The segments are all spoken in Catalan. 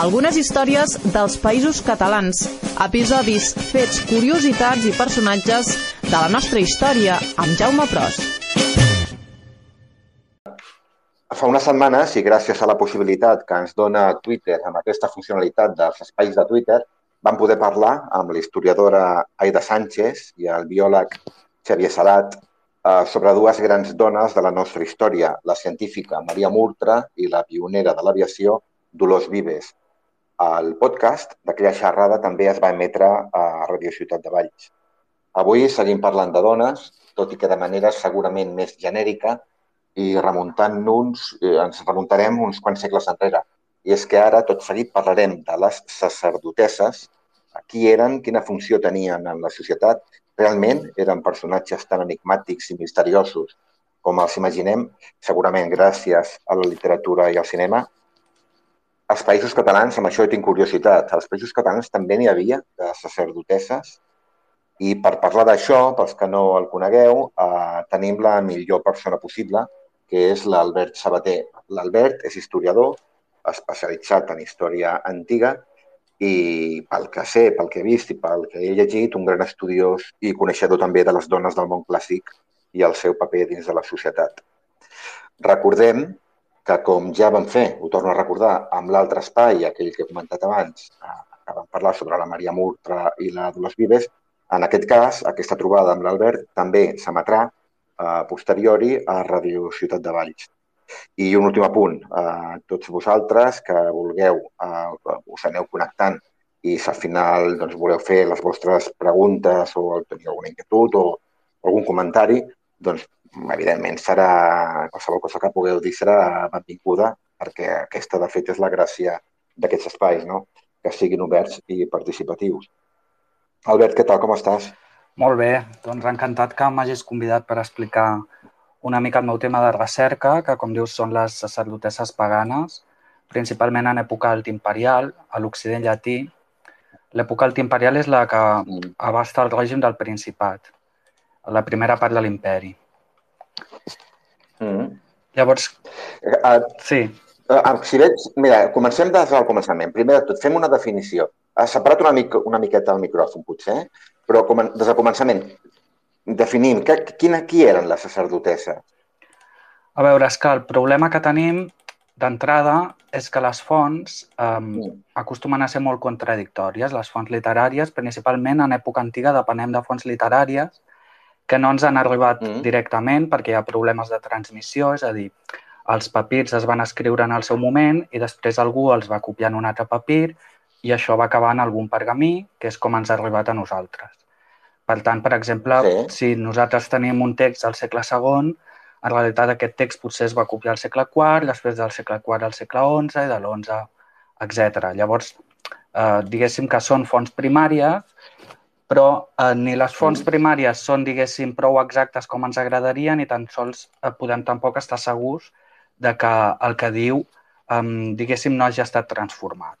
Algunes històries dels Països Catalans, episodis, fets, curiositats i personatges de la nostra història amb Jaume Pros. Fa unes setmanes, i gràcies a la possibilitat que ens dona Twitter amb aquesta funcionalitat dels espais de Twitter, vam poder parlar amb l'historiadora Aida Sánchez i el biòleg Xavier Salat sobre dues grans dones de la nostra història, la científica Maria Murtra i la pionera de l'aviació Dolors Vives. El podcast d'aquella xerrada també es va emetre a Radio Ciutat de Valls. Avui seguim parlant de dones, tot i que de manera segurament més genèrica, i ens remuntarem uns quants segles enrere. I és que ara, tot seguit, parlarem de les sacerdotesses, qui eren, quina funció tenien en la societat. Realment eren personatges tan enigmàtics i misteriosos com els imaginem, segurament gràcies a la literatura i al cinema. Als Països Catalans, amb això tinc curiositat, als Països Catalans també n'hi havia de sacerdotesses. I per parlar d'això, pels que no el conegueu, tenim la millor persona possible, que és l'Albert Sabater. L'Albert és historiador, especialitzat en història antiga, i pel que sé, pel que he vist i pel que he llegit, un gran estudiós i coneixedor també de les dones del món clàssic i el seu paper dins de la societat. Recordem que, com ja vam fer, ho torno a recordar, amb l'altre espai, aquell que he comentat abans, que vam parlar sobre la Maria Murtra i la Dolors Vives, en aquest cas, aquesta trobada amb l'Albert també s'emetrà posteriori a Radio Ciutat de Valls. I un últim apunt, tots vosaltres que vulgueu, us aneu connectant i si al final voleu fer les vostres preguntes o teniu alguna inquietud o algun comentari, doncs evidentment serà, qualsevol cosa que pugueu dir serà benvinguda, perquè aquesta de fet és la gràcia d'aquests espais, no? Que siguin oberts i participatius. Albert, què tal? Com estàs? Molt bé, doncs encantat que m'hagis convidat per explicar una mica el meu tema de recerca, que com dius són les sacerdotesses paganes, principalment en època altimperial, a l'Occident llatí. L'època altimperial és la que abasta el règim del Principat, la primera part de l'imperi. Llavors, sí. Si veig, mira, comencem des del començament. Primer de tot, fem una definició. Has separat una miqueta el micròfon, potser, però des del començament definim qui eren les sacerdotesses. A veure, és que el problema que tenim d'entrada és que les fonts acostumen a ser molt contradictòries. Les fonts literàries, principalment en època antiga, depenem de fonts literàries que no ens han arribat directament perquè hi ha problemes de transmissió, és a dir, els papirs es van escriure en el seu moment i després algú els va copiar en un altre papir i això va acabar en algun pergamí, que és com ens ha arribat a nosaltres. Per tant, per exemple, si nosaltres tenim un text del segle II, en realitat aquest text potser es va copiar al segle IV, després del segle IV al segle XI i de l'XI, etc. Llavors, diguéssim que són fonts primàries, però ni les fonts primàries són, diguéssim, prou exactes com ens agradaria, ni tan sols podem tampoc estar segurs de que el que diu, diguéssim, no hagi estat transformat.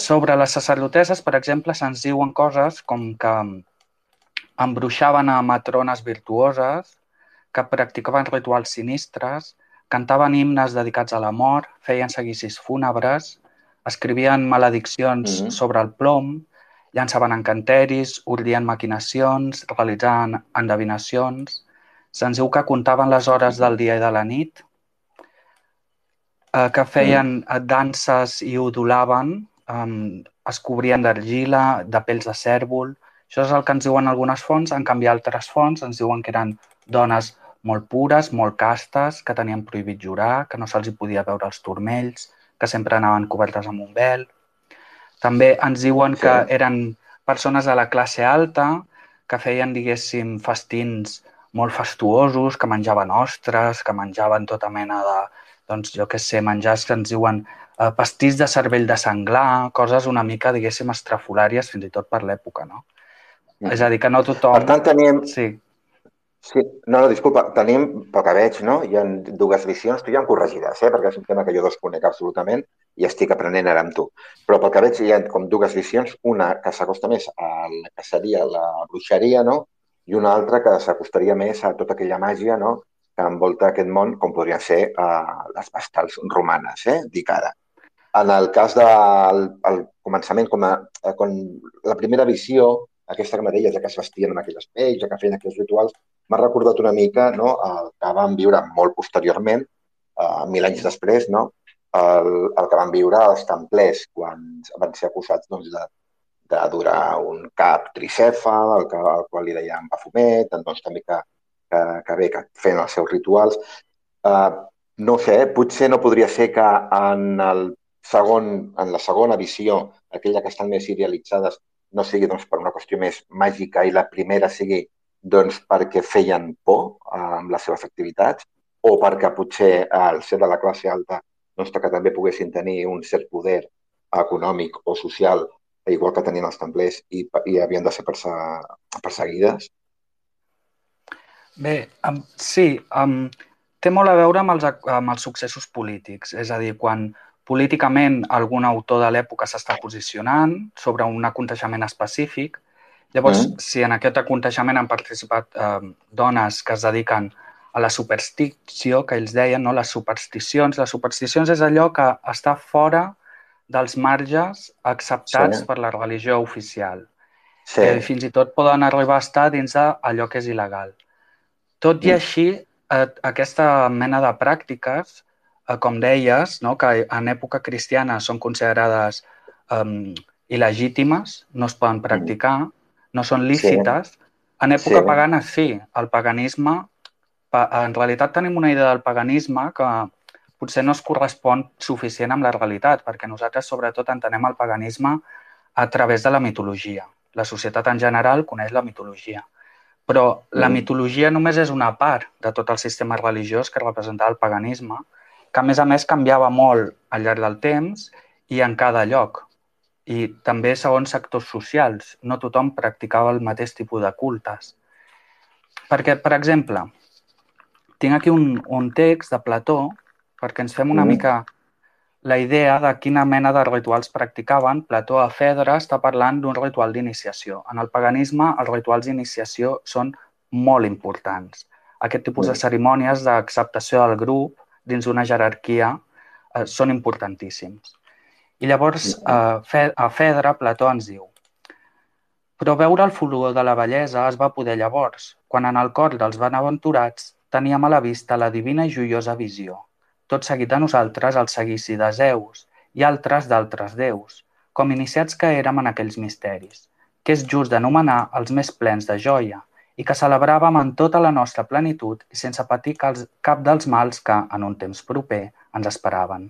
Sobre les sacerdotesses, per exemple, se'ns diuen coses com que embruixaven a matrones virtuoses, que practicaven rituals sinistres, cantaven himnes dedicats a la mort, feien seguicis fúnebres, escrivien malediccions sobre el plom, llançaven encanteris, ordien maquinacions, realitzaven endevinacions. Se'ns diu que comptaven les hores del dia i de la nit, que feien danses i udolaven, es cobrien d'argila, de pells de cèrvol. Això és el que ens diuen algunes fonts. En canvi, altres fonts ens diuen que eren dones molt pures, molt castes, que tenien prohibit jurar, que no se'ls hi podia veure els turmells, que sempre anaven cobertes amb un vel. També ens diuen que eren persones de la classe alta, que feien, diguéssim, festins molt fastuosos, que menjaven ostres, que menjaven tota mena de, doncs, jo què sé, menjars que ens diuen pastís de cervell de senglar, coses una mica, diguéssim, estrafolàries, fins i tot per l'època, no? És a dir, que no tothom... Per tant, tenim... Sí. No, disculpa, tenim, pel que veig, no? Hi ha dues visions, tu ja em corregiràs, perquè és un tema que jo desconec absolutament i estic aprenent ara amb tu. Però pel que veig hi ha com dues visions, una que s'acosta més a la que seria la bruixeria, no? I una altra que s'acostaria més a tota aquella màgia, no? que envolta aquest món, com podrien ser les vestals romanes, dic ara. En el cas del començament, quan la primera visió, aquesta que deies, que es vestien amb aquelles pells, que feien aquells rituals, m'ha recordat una mica, no?, el que vam viure molt posteriorment, 1000 anys després, no?, el que van viure els templers quan van ser acusats, doncs, d'adorar un cap tricèfal, al qual li deien Bafomet, doncs també que feien els seus rituals. No sé, potser no podria ser que en la segona visió, aquella que estan més idealitzades, no sigui doncs, per una qüestió més màgica i la primera sigui doncs, perquè feien por amb les seves activitats o perquè potser al ser de la classe alta doncs, que també poguessin tenir un cert poder econòmic o social, igual que tenien els templers i havien de ser perseguides. Bé, sí, té molt a veure amb els successos polítics. És a dir, quan políticament algun autor de l'època s'està posicionant sobre un aconteixement específic, llavors, si en aquest aconteixement han participat dones que es dediquen a la superstició, que ells deien, no? Les supersticions. Les supersticions és allò que està fora dels marges acceptats per la religió oficial. Que fins i tot poden arribar a estar dins d'allò que és il·legal. Tot i així, aquesta mena de pràctiques, com deies, no? Que en època cristiana són considerades il·legítimes, no es poden practicar, no són lícites. En època pagana sí, el paganisme, en realitat tenim una idea del paganisme que potser no es correspon suficient amb la realitat, perquè nosaltres sobretot entenem el paganisme a través de la mitologia. La societat en general coneix la mitologia. Però la mitologia només és una part de tot el sistema religiós que representava el paganisme, que a més canviava molt al llarg del temps i en cada lloc. I també segons sectors socials. No tothom practicava el mateix tipus de cultes. Perquè, per exemple, tinc aquí un text de Plató perquè ens fem una mica la idea de quina mena de rituals practicaven. Plató a Fedra està parlant d'un ritual d'iniciació. En el paganisme, els rituals d'iniciació són molt importants. Aquest tipus de cerimònies d'acceptació del grup dins d'una jerarquia són importantíssims. I llavors, a Fedra, Plató ens diu: però veure el fulgor de la bellesa es va poder llavors, quan en el cor dels benaventurats teníem a la vista la divina i joiosa visió. Tot seguit de nosaltres el seguici de Zeus i altres d'altres déus, com iniciats que érem en aquells misteris, que és just d'anomenar els més plens de joia i que celebràvem en tota la nostra plenitud i sense patir cap dels mals que, en un temps proper, ens esperaven.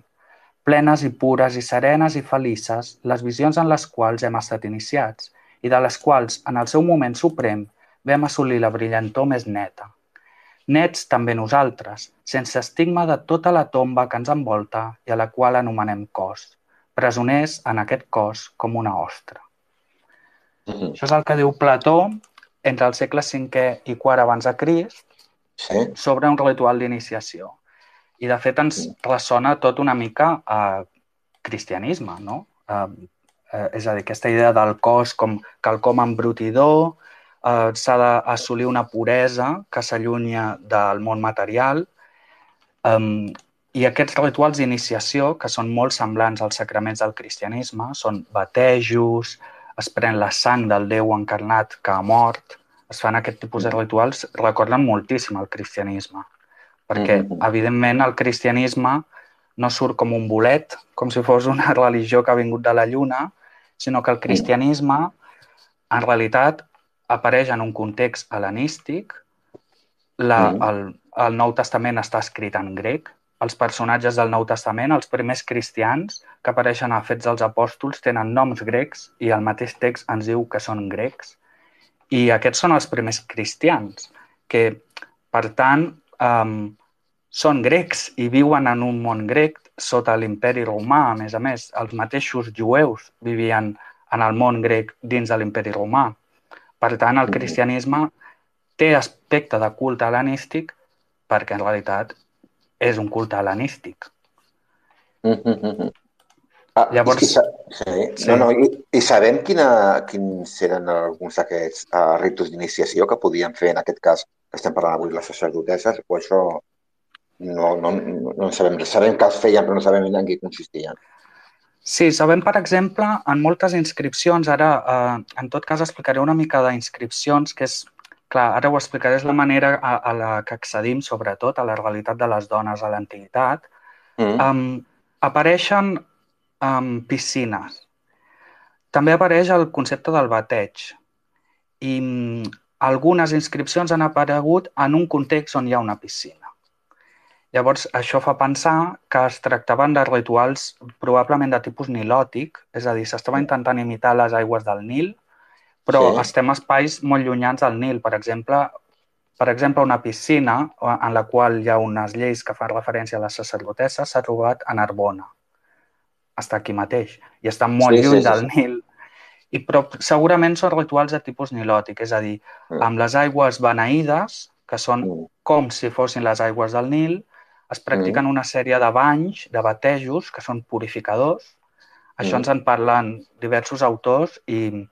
Plenes i pures i serenes i felices, les visions en les quals hem estat iniciats i de les quals, en el seu moment suprem, vam assolir la brillantor més neta. Nets també nosaltres, sense estigma de tota la tomba que ens envolta i a la qual anomenem cos, presoners en aquest cos com una ostra. Això és el que diu Plató entre el segle V i IV abans de Crist sobre un ritual d'iniciació. I, de fet, ens ressona tot una mica a cristianisme, no? És a dir, aquesta idea del cos com quelcom embrutidor, s'ha d'assolir una puresa que s'allunya del món material i aquests rituals d'iniciació, que són molt semblants als sacraments del cristianisme, són batejos, es pren la sang del Déu encarnat que ha mort, es fan aquest tipus de rituals, recorden moltíssim el cristianisme, perquè, evidentment, el cristianisme no surt com un bolet, com si fos una religió que ha vingut de la lluna, sinó que el cristianisme, en realitat, apareix en un context hel·lenístic. El Nou Testament està escrit en grec. Els personatges del Nou Testament, els primers cristians que apareixen a Fets dels Apòstols, tenen noms grecs i el mateix text ens diu que són grecs. I aquests són els primers cristians, que, per tant, són grecs i viuen en un món grec sota l'imperi romà. A més, els mateixos jueus vivien en el món grec dins de l'imperi romà. Per tant, el cristianisme té aspecte de culte hel·lenístic perquè, en realitat, és un culte hel·lenístic. Llavors... I sabem quins eren alguns d'aquests ritus d'iniciació que podien fer, en aquest cas, estem parlant avui, les sacerdotesses, o això no en sabem res. Sabem que els feien, però no sabem en què consistien. Sí, sabem, per exemple, en moltes inscripcions, ara en tot cas explicaré una mica d'inscripcions, que és, clar, ara ho explicaré, és la manera a la que accedim, sobretot, a la realitat de les dones a l'antiguitat. Apareixen piscines. També apareix el concepte del bateig i algunes inscripcions han aparegut en un context on hi ha una piscina. Llavors, això fa pensar que es tractaven de rituals probablement de tipus nilòtic, és a dir, s'estava intentant imitar les aigües del Nil, però estem a espais molt llunyans del Nil. Per exemple, una piscina en la qual hi ha unes lleis que fan referència a les sacerdotesses s'ha trobat a Narbona. Està aquí mateix i està molt lluny del Nil. Però segurament són rituals de tipus nilòtic, és a dir, amb les aigües beneïdes, que són com si fossin les aigües del Nil, es practiquen una sèrie de banys, de batejos, que són purificadors. Això ens en parlen diversos autors i,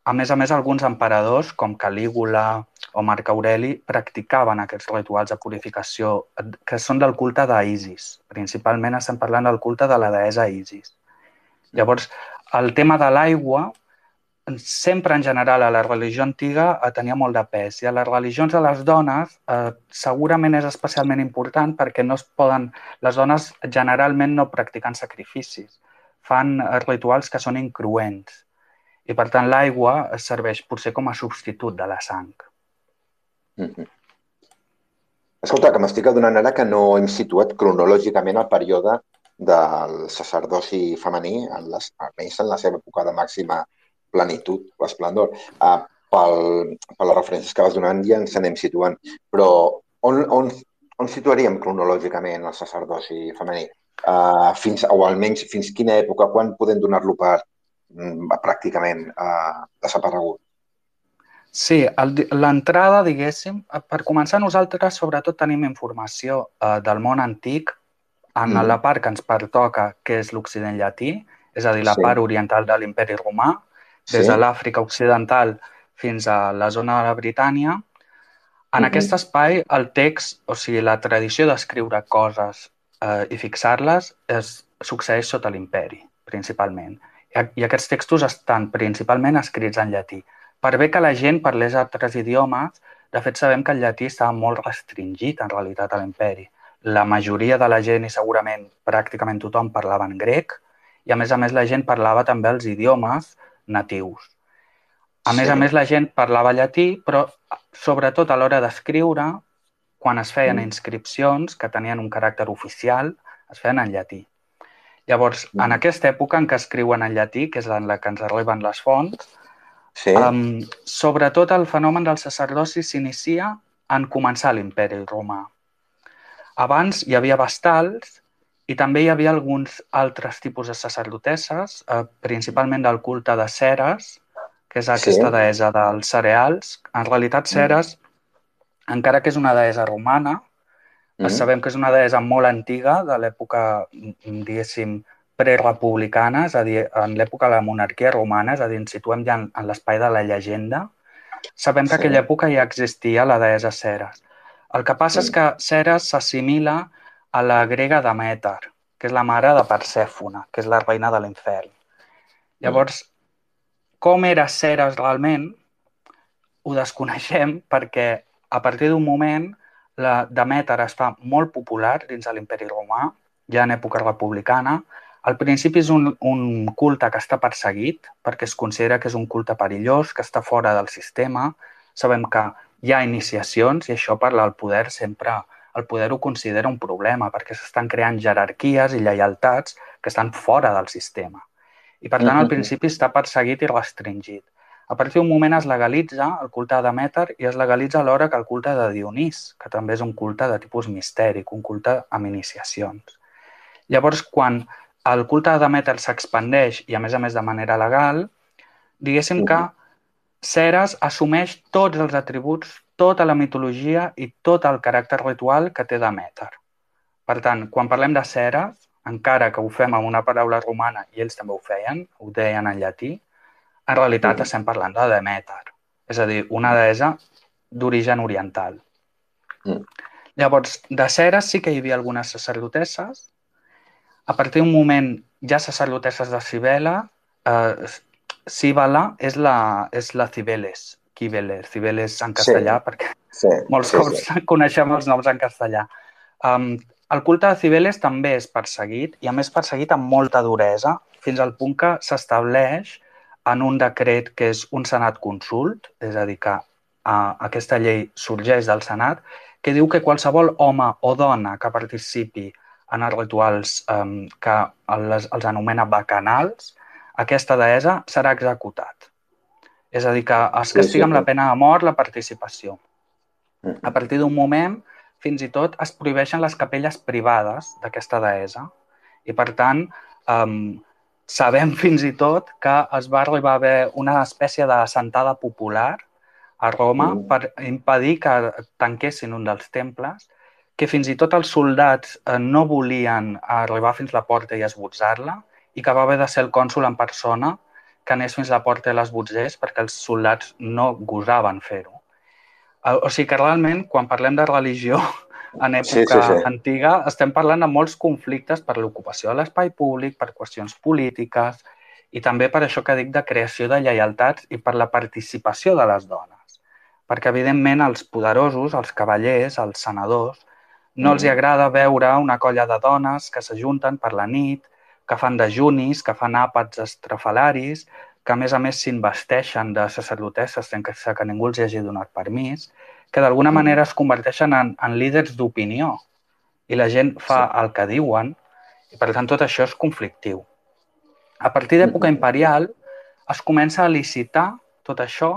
a més, alguns emperadors, com Calígula o Marc Aureli, practicaven aquests rituals de purificació que són del culte d'Isis. Principalment estem parlant del culte de la deessa Isis. Llavors, el tema de l'aigua sempre en general a la religió antiga tenia molt de pes i a les religions de les dones segurament és especialment important perquè les dones generalment no practiquen sacrificis, fan rituals que són incruents i per tant l'aigua serveix potser com a substitut de la sang. Escolta, que m'estic adonant ara que no hem situat cronològicament el període del sacerdoci femení, almenys en la seva època de màxima plenitud o esplendor. Per les referències que vas donant ja ens anem situant. Però on situaríem cronològicament el sacerdoci femení? O almenys fins quina època? Quan podem donar-lo per pràcticament desaparegut? Sí, l'entrada, diguéssim, per començar nosaltres sobretot tenim informació del món antic en la part que ens pertoca, que és l'Occident llatí, és a dir, la part oriental de l'Imperi Romà, des de l'Àfrica Occidental fins a la zona de la Britània. En aquest espai, el text, o sigui, la tradició d'escriure coses i fixar-les succeeix sota l'Imperi, principalment. I aquests textos estan principalment escrits en llatí. Per bé que la gent parlés altres idiomes, de fet sabem que el llatí estava molt restringit en realitat a l'Imperi. La majoria de la gent i segurament pràcticament tothom parlava en grec i a més la gent parlava també els idiomes natius. A més, la gent parlava llatí, però sobretot a l'hora d'escriure, quan es feien inscripcions que tenien un caràcter oficial, es feien en llatí. Llavors, en aquesta època en què escriuen en llatí, que és en la que ens arriben les fonts, sobretot el fenomen del sacerdoci s'inicia en començar l'Imperi Romà. Abans hi havia vestals i també hi havia alguns altres tipus de sacerdotesses, principalment del culte de Ceres, que és aquesta deessa dels cereals. En realitat, Ceres, encara que és una deessa romana, sabem que és una deessa molt antiga, de l'època, diguéssim, prerepublicana, és a dir, en l'època de la monarquia romana, és a dir, ens situem ja en l'espai de la llegenda. Sabem que en aquella època ja existia la deessa Ceres. El que passa és que Ceres s'assimila a la grega Demèter, que és la mare de Persèfone, que és la reina de l'infern. Llavors, com era Ceres realment, ho desconeixem perquè a partir d'un moment la Demèter es fa molt popular dins de l'Imperi Romà, ja en època republicana. Al principi és un culte que està perseguit perquè es considera que és un culte perillós, que està fora del sistema. Sabem que hi ha iniciacions i això per al poder sempre el poder ho considera un problema perquè s'estan creant jerarquies i lleialtats que estan fora del sistema. I per tant, al principi està perseguit i restringit. A partir d'un moment es legalitza el culte de Demèter i es legalitza alhora que el culte de Dionís, que també és un culte de tipus mistèric, un culte amb iniciacions. Llavors, quan el culte de Demèter s'expandeix i, a més de manera legal, diguéssim que Ceres assumeix tots els atributs, tota la mitologia i tot el caràcter ritual que té Demèter. Per tant, quan parlem de Ceres, encara que ho fem amb una paraula romana i ells també ho feien, ho deien en llatí, en realitat estem parlant de Demèter, és a dir, una deessa d'origen oriental. Llavors, de Ceres sí que hi havia algunes sacerdotesses. A partir d'un moment hi ha sacerdotesses de Cibele. Cíbala és la Cibeles. Cibeles en Sí, castellà, perquè molts cops coneixem els noms en castellà. El culte de Cibeles també és perseguit, i a més perseguit amb molta duresa, fins al punt que s'estableix en un decret que és un senat consult, és a dir, que aquesta llei sorgeix del senat, que diu que qualsevol home o dona que participi en els rituals que els anomena bacanals, aquesta deessa serà executat. És a dir, que es castiga amb la pena de mort la participació. A partir d'un moment, fins i tot es prohibeixen les capelles privades d'aquesta deessa, i per tant sabem fins i tot que es va arribar a haver una espècie de assentada popular a Roma per impedir que tanquessin un dels temples, que fins i tot els soldats no volien arribar fins a la porta i esbotzar-la, i que va haver de ser el cònsol en persona que anés fins a la porta i l'esbotzés perquè els soldats no gosaven fer-ho. O sigui que realment, quan parlem de religió en època antiga, estem parlant de molts conflictes per l'ocupació de l'espai públic, per qüestions polítiques, i també per això que dic de creació de lleialtats i per la participació de les dones. Perquè, evidentment, els poderosos, els cavallers, els senadors, no els agrada veure una colla de dones que s'ajunten per la nit, que fan dejunis, que fan àpats estrafalaris, que a més s'investeixen de sacerdotesses sense que ningú els hagi donat permís, que d'alguna manera es converteixen en líders d'opinió, i la gent fa el que diuen, i per tant tot això és conflictiu. A partir d'època imperial es comença a licitar tot això,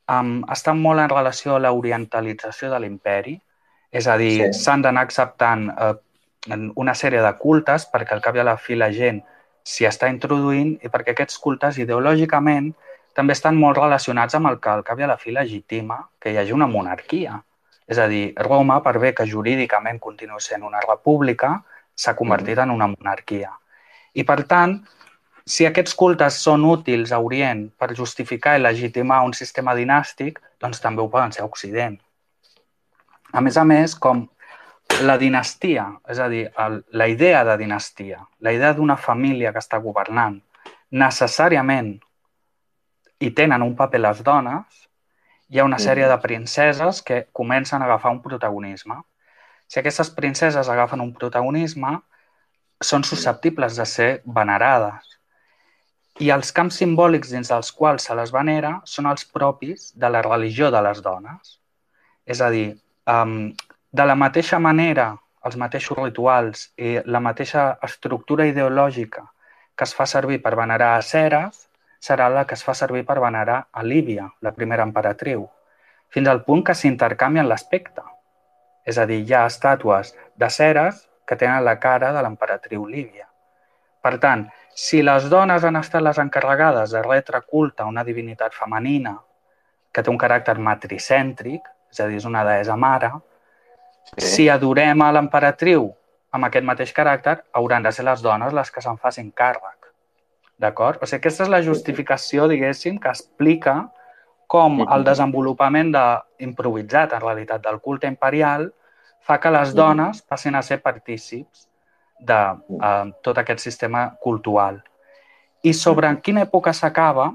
està molt en relació a l'orientalització de l'imperi, és a dir, s'han d'anar acceptant una sèrie de cultes perquè al cap i a la fi la gent s'hi està introduint, i perquè aquests cultes ideològicament també estan molt relacionats amb el que al cap i a la fi legitima que hi hagi una monarquia. És a dir, Roma, per bé que jurídicament continua sent una república, s'ha convertit en una monarquia. I per tant, si aquests cultes són útils a Orient per justificar i legitimar un sistema dinàstic, doncs també ho poden ser a Occident. A més, com la dinastia, és a dir, la idea de dinastia, la idea d'una família que està governant, necessàriament hi tenen un paper les dones, hi ha una sèrie de princeses que comencen a agafar un protagonisme. Si aquestes princeses agafen un protagonisme, són susceptibles de ser venerades. I els camps simbòlics dins dels quals se les venera són els propis de la religió de les dones. És a dir, de la mateixa manera, els mateixos rituals i la mateixa estructura ideològica que es fa servir per venerar a Ceres serà la que es fa servir per venerar a Lívia, la primera emperatriu, fins al punt que s'intercanvien l'aspecte. És a dir, hi ha estàtues de Ceres que tenen la cara de l'emperatriu Lívia. Per tant, si les dones han estat les encarregades de retre culte a una divinitat femenina que té un caràcter matricèntric, és a dir, és una deessa mare, si adorem a l'emperatriu amb aquest mateix caràcter, hauran de ser les dones les que se'n facin càrrec. D'acord? O sigui, aquesta és la justificació, diguéssim, que explica com el desenvolupament improvisat, en realitat, del culte imperial fa que les dones passin a ser partícips de tot aquest sistema cultural. I sobre en quina època s'acaba,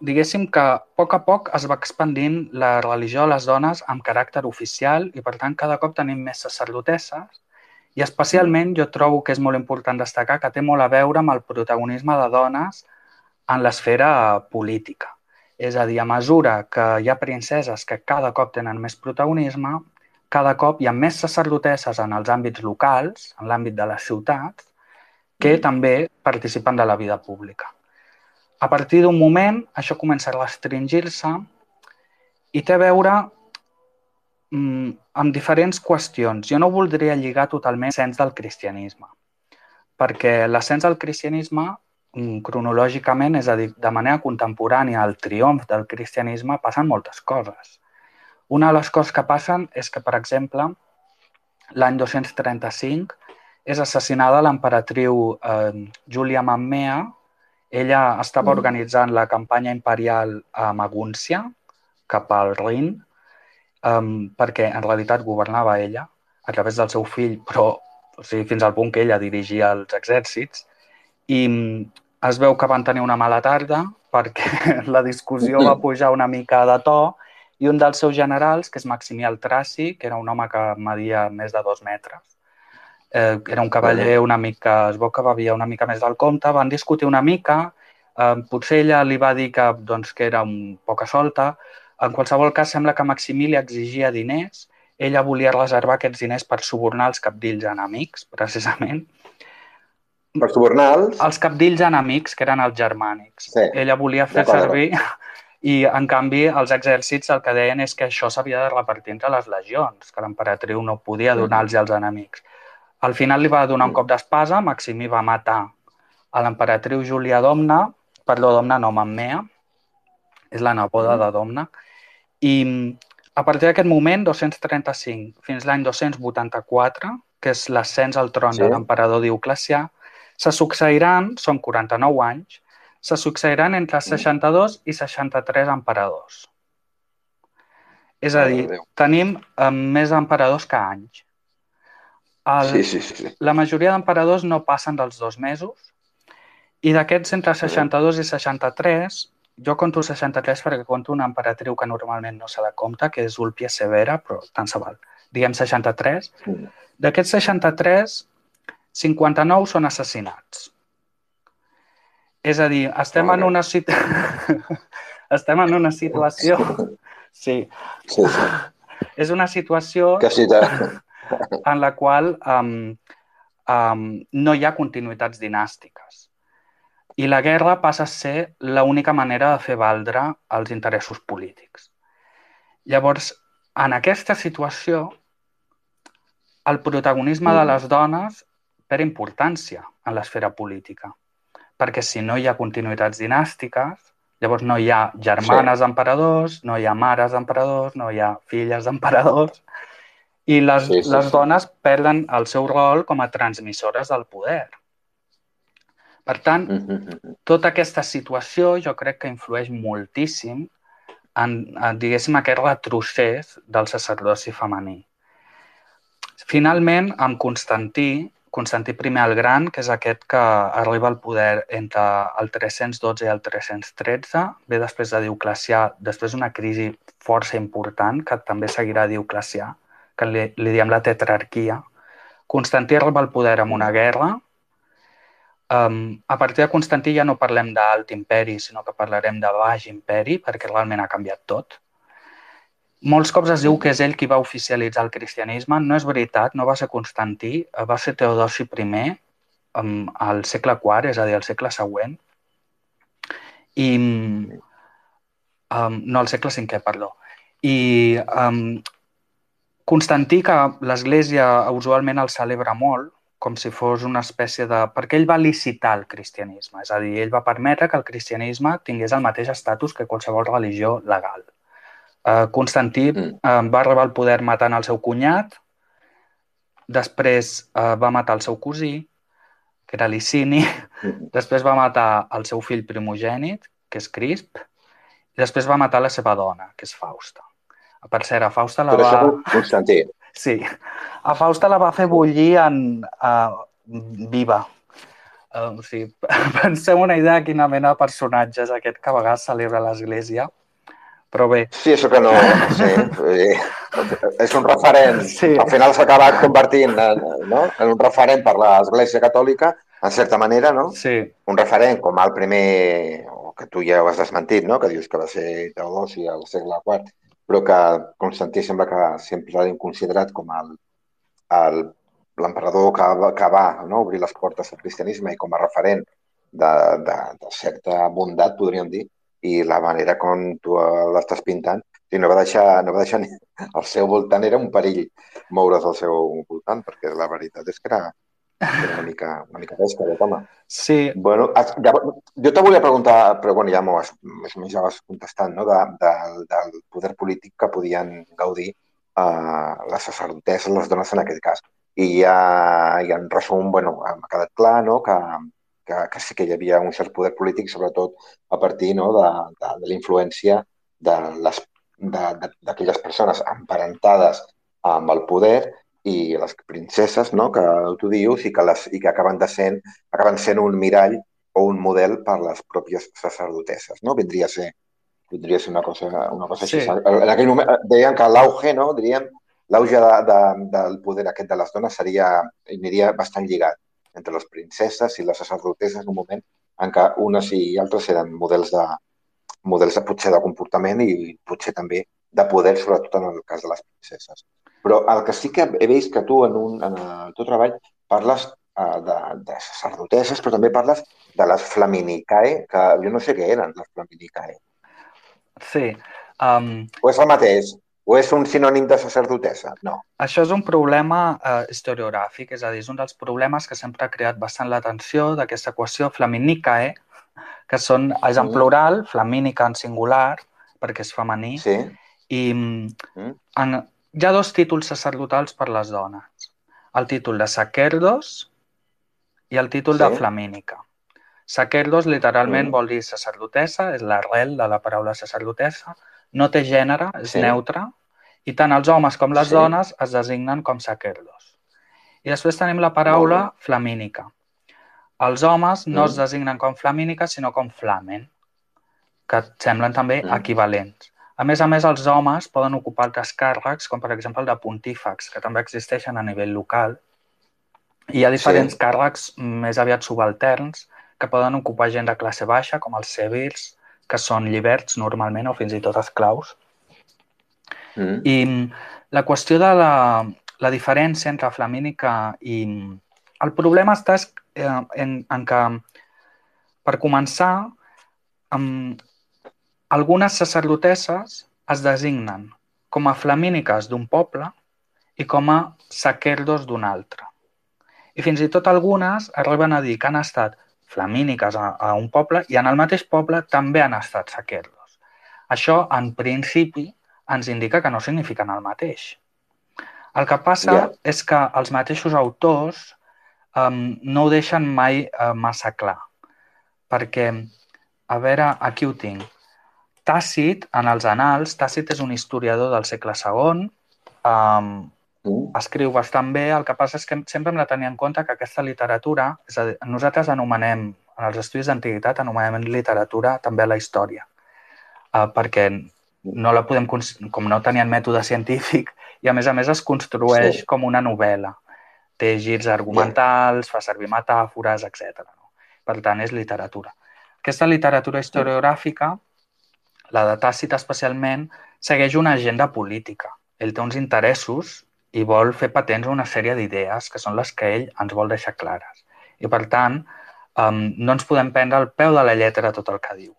diguéssim que a poc es va expandint la religió a les dones amb caràcter oficial, i per tant cada cop tenim més sacerdotesses, i especialment jo trobo que és molt important destacar que té molt a veure amb el protagonisme de dones en l'esfera política. És a dir, a mesura que hi ha princeses que cada cop tenen més protagonisme, cada cop hi ha més sacerdotesses en els àmbits locals, en l'àmbit de les ciutats, que també participen de la vida pública. A partir d'un moment, això comença a restringir-se i té a veure amb diferents qüestions. Jo no voldria lligar totalment l'ascens del cristianisme, perquè l'ascens del cristianisme, cronològicament, és a dir, de manera contemporània al triomf del cristianisme, passen moltes coses. Una de les coses que passen és que, per exemple, l'any 235 és assassinada l'emperatriu Júlia Mammea. Ella estava organitzant la campanya imperial a Magúncia, cap al Rin, perquè en realitat governava ella a través del seu fill, però fins al punt que ella dirigia els exèrcits, i es veu que van tenir una mala tarda perquè la discussió va pujar una mica de to i un dels seus generals, que és Maximià el Traci, que era un home que media més de 2 metres, era un cavaller una mica, es veu que bevia una mica més del compte, van discutir una mica, potser ella li va dir que era un poca solta, en qualsevol cas sembla que Maximí li exigia diners, ella volia reservar aquests diners per subornar els cabdills enemics, precisament. Per subornar els cabdills enemics, que eren els germànics. Sí. Ella volia fer servir i, en canvi, els exèrcits el que deien és que això s'havia de repartir entre les legions, que l'emperatriu no podia donar-los als enemics. Al final li va donar un cop d'espasa, Maximí va matar a l'emperatriu Júlia Domna, Domna no, Mammea, és la neboda de Domna, i a partir d'aquest moment, 235 fins l'any 284, que és l'ascens al tron de l'emperador Dioclecià, se succeiran, són 49 anys, se succeiran entre 62 i 63 emperadors. És a dir, tenim més emperadors que anys. Sí. La majoria d'emperadors no passen dels 2 mesos i d'aquests entre 62 i 63, jo conto 63 perquè conto una emperatriu que normalment no se la compta, que és Ulpia Severa, però tant se val. Diguem 63. D'aquests 63, 59 són assassinats. És a dir, estem en una situació... Sí. És una situació en la qual no hi ha continuïtats dinàstiques. I la guerra passa a ser l'única manera de fer valdre els interessos polítics. Llavors, en aquesta situació, el protagonisme de les dones perd importància en l'esfera política, perquè si no hi ha continuïtats dinàstiques, llavors no hi ha germanes d'emperadors, no hi ha mares d'emperadors, no hi ha filles d'emperadors, i les dones perden el seu rol com a transmissores del poder. Per tant, tota aquesta situació jo crec que influeix moltíssim en diguéssim, aquest retrocés del sacerdoci femení. Finalment, amb Constantí I el Gran, que és aquest que arriba al poder entre el 312 i el 313, ve després de Dioclecià, després d'una crisi força important, que també seguirà Dioclecià, que li diem la tetrarquia. Constantí arriba al poder amb una guerra. A partir de Constantí ja no parlem d'alt imperi, sinó que parlarem de baix imperi, perquè realment ha canviat tot. Molts cops es diu que és ell qui va oficialitzar el cristianisme. No és veritat, no va ser Constantí, va ser Teodosi I al segle IV, és a dir, al segle següent. No, al segle V, perdó. I Constantí, que l'Església usualment el celebra molt, com si fos una espècie de... perquè ell va licitar el cristianisme, és a dir, ell va permetre que el cristianisme tingués el mateix estatus que qualsevol religió legal. Constantí va arribar al poder matant el seu cunyat, després va matar el seu cosí, que era Licini, després va matar el seu fill primogènit, que és Crisp, i després va matar la seva dona, que és Fausta. Per cert, a Fausta la va... Constantí. Sí. A Fausta la va fer bullir viva. O sigui, penseu una idea de quina mena de personatge és aquest que a vegades celebra l'Església. Però bé... Sí, això que no... Sí. És un referent. Sí. Al final s'ha acabat convertint en un referent per l'Església Catòlica, en certa manera, no? Sí. Un referent com el primer, que tu ja ho has desmentit, no? Que dius que va ser Teodosi al segle IV, però que Constantí sembla que sempre l'hem considerat com l'emperador que va obrir les portes al cristianisme i com a referent de certa bondat, podríem dir, i la manera com tu l'estàs pintant, no va deixar ni... Al seu voltant era un perill moure's al seu voltant, perquè la veritat és que era una mica pesca, home. Sí. Bueno, jo te volia preguntar, però bueno, ja més o menys ja vas contestant, no? Del poder polític que podien gaudir les sacerdotesses, les dones en aquest cas. I ja en resum, bueno, m'ha quedat clar, no?, que sí que hi havia un cert poder polític, sobretot a partir de la influència de les d'aquelles persones emparentades amb el poder i les princeses, no?, que tu dius, i que acaben sent un mirall o un model per les pròpies sacerdotesses, no? Vindria a ser una cosa així. Sí, En aquell moment deien que l'auge, no?, diríem, l'auge del poder aquest de les dones aniria bastant lligat entre les princeses i les sacerdotesses en un moment en què unes i altres eren models potser de comportament i potser també de poder, sobretot en el cas de les princeses. Però el que sí que he vist que tu en el teu treball parles de sacerdotesses, però també parles de les Flaminicae, que jo no sé què eren, les Flaminicae. sí. Um, O és el mateix? O és un sinònim de sacerdotessa? No. Això és un problema historiogràfic, és a dir, és un dels problemes que sempre ha creat bastant l'atenció d'aquesta equació Flaminicae, que és en plural, Flamínica en singular, perquè és femení, Sí. i hi ha dos títols sacerdotals per les dones. El títol de sacerdos i el títol de Flamínica. Sacerdos literalment vol dir sacerdotessa, és l'arrel de la paraula sacerdotessa, no té gènere, és neutre, i tant els homes com les dones es designen com sacerdos. I després tenim la paraula flamínica. Els homes no es designen com flamínica, sinó com flamen, que semblen també equivalents. A més, els homes poden ocupar altres càrrecs, com per exemple el de pontífex, que també existeixen a nivell local. I hi ha diferents càrrecs més aviat subalterns que poden ocupar gent de classe baixa, com els civils, que són lliberts normalment o fins i tot esclaus. I la qüestió de la diferència entre flamínica i... El problema està en que, per començar, algunes sacerdotesses es designen com a flamíniques d'un poble i com a sacerdos d'un altre. I fins i tot algunes arriben a dir que han estat flamíniques a un poble i en el mateix poble també han estat sacerdos. Això, en principi, ens indica que no signifiquen el mateix. El que passa és que els mateixos autors no ho deixen mai massa clar. Perquè, a veure, aquí ho tinc. Tàcit, en els Annals, Tàcit és un historiador del segle II, escriu bastant bé, el que passa és que sempre hem de tenir en compte que aquesta literatura, és a dir, nosaltres anomenem, en els estudis d'antiguitat, anomenem literatura també la història, perquè no la podem, com no tenien mètode científic, i a més es construeix com una novel·la. Té girs argumentals, fa servir metàfores, etc. Per tant, és literatura. Aquesta literatura historiogràfica, la de Tàcit especialment, segueix una agenda política. Ell té uns interessos i vol fer patents una sèrie d'idees que són les que ell ens vol deixar clares. I, per tant, no ens podem prendre al peu de la lletra tot el que diu.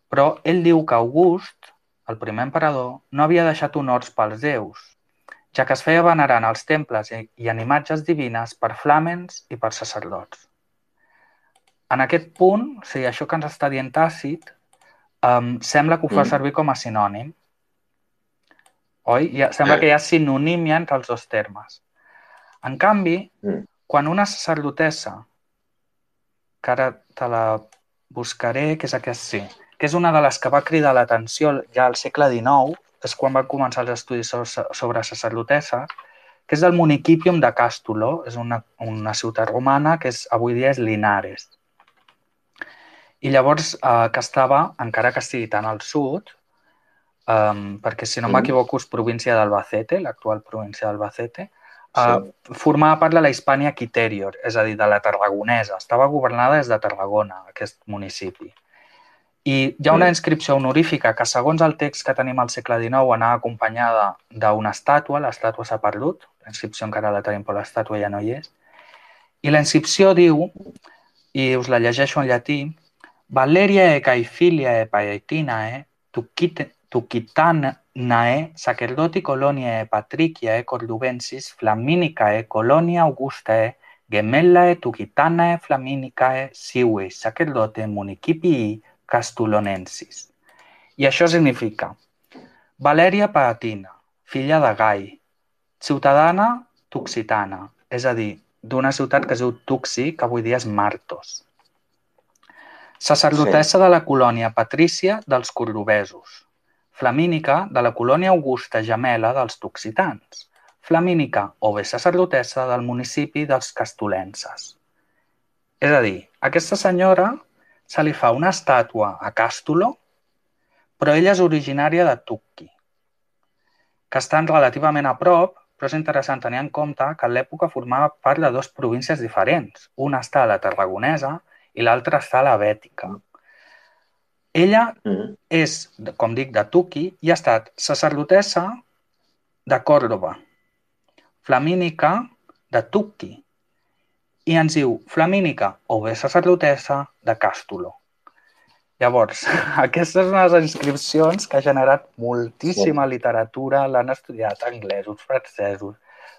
Però ell diu que August, el primer emperador, no havia deixat honors pels déus, ja que es feia venerar en els temples i en imatges divines per flàmens i per sacerdots. En aquest punt, o sigui, això que ens està dient Tàcit, sembla que ho fa servir com a sinònim. Oi? Sembla que hi ha sinonímia entre els dos termes. En canvi, quan una sacerdotessa, que ara te la buscaré, que és aquesta, sí, que és una de les que va cridar l'atenció ja al segle XIX, és quan van començar els estudis sobre sacerdotesses, que és del Municipium de Castulo, és una ciutat romana que avui dia és Linares. I llavors que estava, encara que estigui tan al sud, perquè si no m'equivoco és província d'Albacete, l'actual província d'Albacete, formava part de la Hispània Quiterior, és a dir, de la Tarragonesa. Estava governada des de Tarragona, aquest municipi. I hi ha una inscripció honorífica que, segons el text que tenim al segle XIX, anava acompanyada d'una estàtua, l'estàtua s'ha perdut, la inscripció encara la tenim, però l'estàtua ja no hi és. I la inscripció diu, i us la llegeixo en llatí, Valeriae Caefiliae Paetinae Tucitanae sacerdoti coloniae patriciae cordubensis Flaminicae colonia Augustae gemellae Tucitanae Flaminicae sive sacerdote municipii Castulonensis. I això significa Valèria Paetina, filla de Gai, ciutadana tuxitana, és a dir, d'una ciutat que es diu Tuxi, que avui dia és Martos. Sacerdotessa de la colònia patrícia dels cordobesos, flamínica de la colònia augusta gemela dels toxitans, flamínica o bé sacerdotessa del municipi dels castolenses. És a dir, a aquesta senyora se li fa una estàtua a Càstulo, però ella és originària de Tucci, que estan relativament a prop, però és interessant tenir en compte que en l'època formava part de dues províncies diferents. Una està a la Tarragonesa i l'altra està a la Bètica. Ella és, com dic, de Tucci i ha estat sacerdotessa de Còrdova, flamínica de Tucci, i ens diu flamínica o bé sacerdotessa de Càstulo. Llavors, aquestes són les inscripcions que ha generat moltíssima literatura, l'han estudiat anglesos, francesos,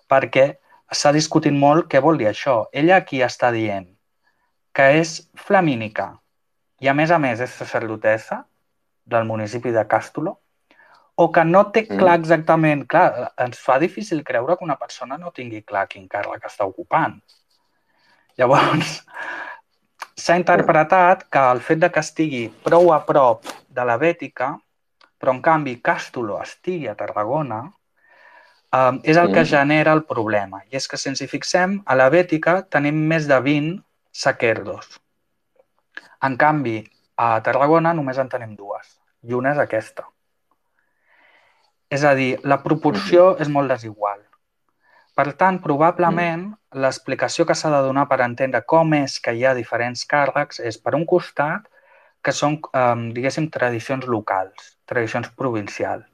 perquè s'ha discutit molt què vol dir això. Ella aquí està dient que és flamínica i a més és sacerdotessa del municipi de Càstulo, o que no té clar exactament... Clar, ens fa difícil creure que una persona no tingui clar quin càrrec està ocupant. Llavors, s'ha interpretat que el fet de que estigui prou a prop de la Bètica, però en canvi Càstulo estigui a Tarragona, és el que genera el problema. I és que si ens hi fixem, a la Bètica tenim més de 20 sacerdos. En canvi, a Tarragona només en tenim 2, i una és aquesta. És a dir, la proporció és molt desigual. Per tant, probablement, l'explicació que s'ha de donar per entendre com és que hi ha diferents càrrecs és, per un costat, que són, diguéssim, tradicions locals, tradicions provincials.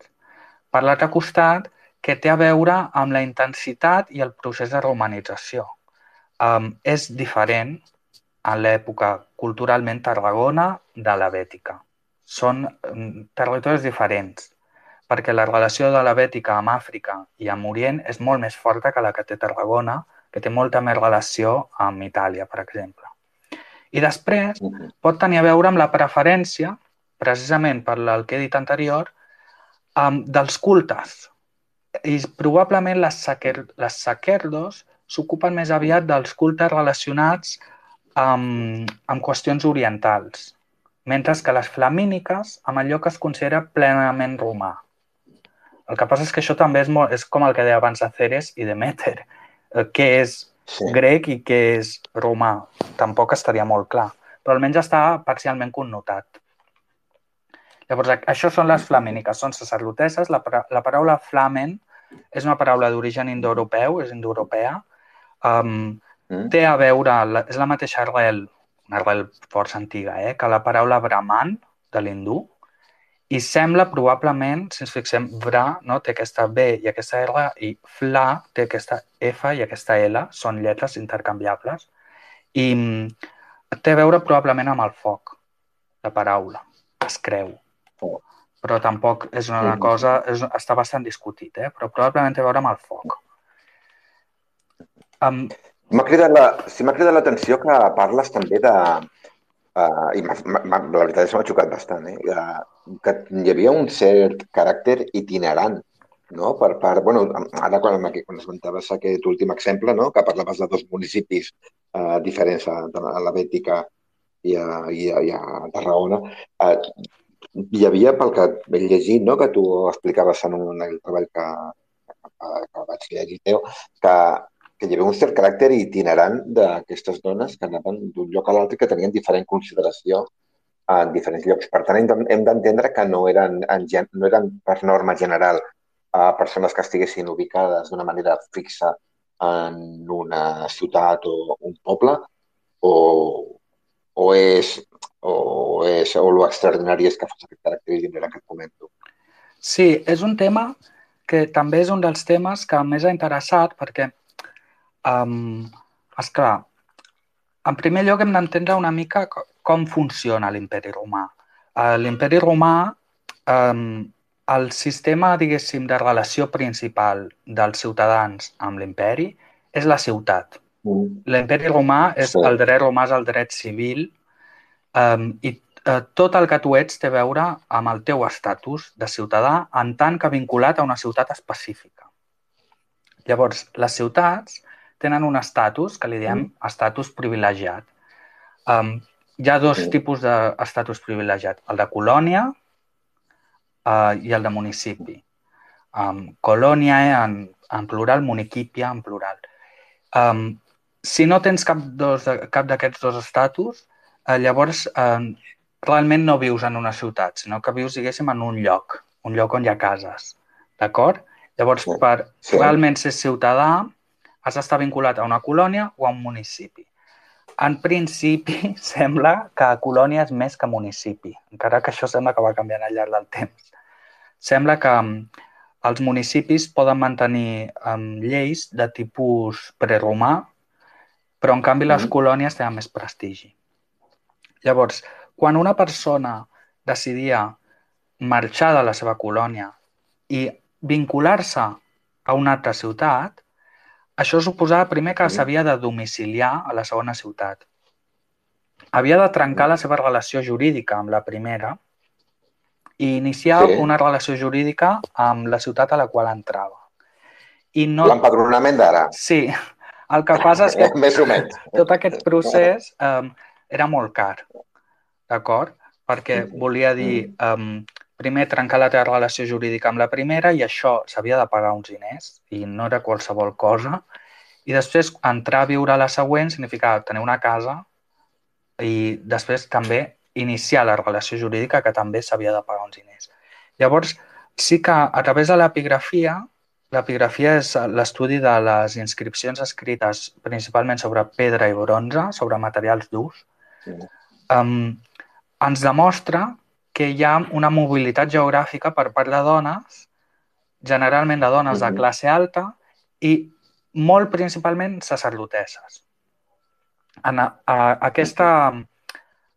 Per l'altre costat, que té a veure amb la intensitat i el procés de romanització. És diferent en l'època culturalment Tarragona de la Bètica. Són territoris diferents, perquè la relació de la Bètica amb Àfrica i amb Orient és molt més forta que la que té Tarragona, que té molta més relació amb Itàlia, per exemple. I després pot tenir a veure amb la preferència, precisament per el que he dit anterior, dels cultes. I probablement les sacerdos s'ocupen més aviat dels cultes relacionats amb qüestions orientals, mentre que les flamíniques amb allò que es considera plenament romà. El que passa és que això també és com el que deia abans de Ceres i Demeter, què és grec i què és romà. Tampoc estaria molt clar, però almenys està parcialment connotat. Llavors, això són les flamíniques, són sacerdotesses. La paraula flamen és una paraula d'origen indoeuropeu, és indoeuropea. Té a veure, és la mateixa arrel, una arrel força antiga, que la paraula brahman, de l'hindú, i sembla probablement, si ens fixem, bra, no? Té aquesta B i aquesta R, i fla té aquesta F i aquesta L, són lletres intercanviables, i té a veure probablement amb el foc, la paraula, es creu. Però tampoc és una cosa, està bastant discutit, però probablement té a veure amb el foc. M'ha cridat l'atenció que parles també de... I la veritat és que m'ha xocat bastant, que hi havia un cert caràcter itinerant, no? Per part... Bueno, ara quan esmentaves aquest últim exemple, no? Que parlaves de 2 municipis diferents, a la Bètica i a Tarragona, hi havia, pel que he llegit, no? Que tu explicaves en un treball que vaig llegir teu, que hi havia un cert caràcter itinerant d'aquestes dones que anaven d'un lloc a l'altre i que tenien diferent consideració en diferents llocs. Per tant, hem d'entendre que no eren per norma general persones que estiguessin ubicades d'una manera fixa en una ciutat o un poble, o l'extraordinari és que fos aquest caràcter itinerant que et comento. Sí, és un tema que també és un dels temes que més ha interessat perquè esclar, en primer lloc hem d'entendre una mica com funciona l'Imperi Romà. L'Imperi Romà, el sistema, diguéssim, de relació principal dels ciutadans amb l'imperi és la ciutat. L'Imperi Romà és el dret romà, és el dret civil, i tot el que tu ets té a veure amb el teu estatus de ciutadà en tant que vinculat a una ciutat específica. Llavors, les ciutats tenen un estatus que li diem estatus privilegiat. Hi ha 2 tipus d'estatus privilegiat, el de colònia i el de municipi. Colònia en plural, municipia en plural. Si no tens cap d'aquests dos estatus, llavors realment no vius en una ciutat, sinó que vius, diguéssim, en un lloc on hi ha cases, d'acord? Llavors, per realment ser ciutadà, has d'estar vinculat a una colònia o a un municipi. En principi, sembla que colònia és més que municipi, encara que això sembla que va canviant al llarg del temps. Sembla que els municipis poden mantenir lleis de tipus preromà, però en canvi les colònies tenen més prestigi. Llavors, quan una persona decidia marxar de la seva colònia i vincular-se a una altra ciutat, això suposava primer que s'havia de domiciliar a la segona ciutat. Havia de trencar la seva relació jurídica amb la primera i iniciar una relació jurídica amb la ciutat a la qual entrava. L'empadronament d'ara. Sí. El que passa és que més o menys. Tot aquest procés era molt car, d'acord? Perquè volia dir primer trencar la teva relació jurídica amb la primera i això s'havia de pagar uns diners i no era qualsevol cosa. I després entrar a viure a la següent significava tenir una casa i després també iniciar la relació jurídica que també s'havia de pagar uns diners. Llavors, sí que a través de l'epigrafia és l'estudi de les inscripcions escrites principalment sobre pedra i bronze, sobre materials durs, ens demostra que hi ha una mobilitat geogràfica per part de dones, generalment de dones de classe alta i molt principalment sacerdotesses.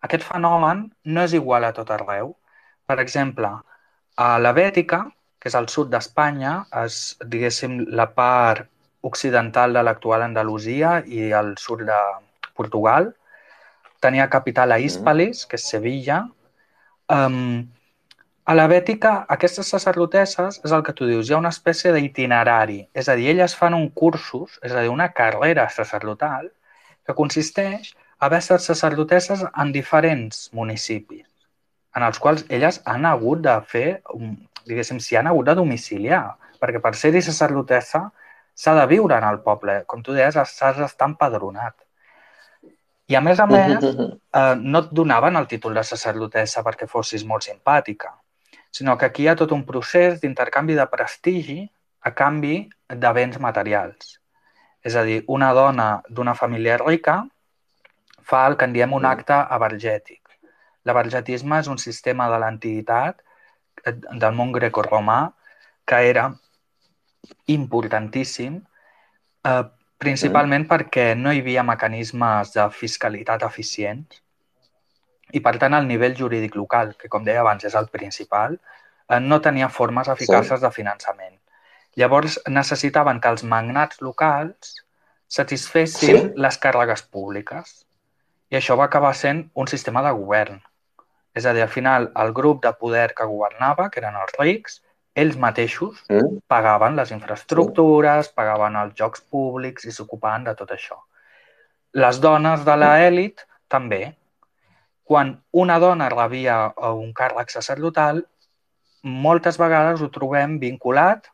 Aquest fenomen no és igual a tot arreu. Per exemple, a la Bètica, que és al sud d'Espanya, és, diguéssim, la part occidental de l'actual Andalusia i al sud de Portugal. Tenia capital a Hispalis, que és Sevilla. A la Bètica, aquestes sacerdotesses, és el que tu dius, hi ha una espècie d'itinerari. És a dir, elles fan un cursus, és a dir, una carrera sacerdotal, que consisteix a haver estat sacerdotesses en diferents municipis, en els quals elles han hagut de fer, diguéssim, s'hi han hagut de domiciliar, perquè per ser-hi sacerdotessa s'ha de viure en el poble. Com tu deies, s'has d'estar empadronat. I a més, no et donaven el títol de sacerdotessa perquè fossis molt simpàtica, sinó que aquí hi ha tot un procés d'intercanvi de prestigi a canvi de béns materials. És a dir, una dona d'una família rica fa el que en diem un acte avergètic. L'avergetisme és un sistema de l'antiguitat del món grecorromà que era importantíssim, principalment perquè no hi havia mecanismes de fiscalitat eficients i, per tant, el nivell jurídic local, que, com deia abans, és el principal, no tenia formes eficaces de finançament. Llavors, necessitaven que els magnats locals satisfessin les càrregues públiques. I això va acabar sent un sistema de govern. És a dir, al final, el grup de poder que governava, que eren els rics, ells mateixos pagaven les infraestructures, pagaven els jocs públics i s'ocupaven de tot això. Les dones de l'elit també. Quan una dona rebia un càrrec sacerdotal, moltes vegades ho trobem vinculat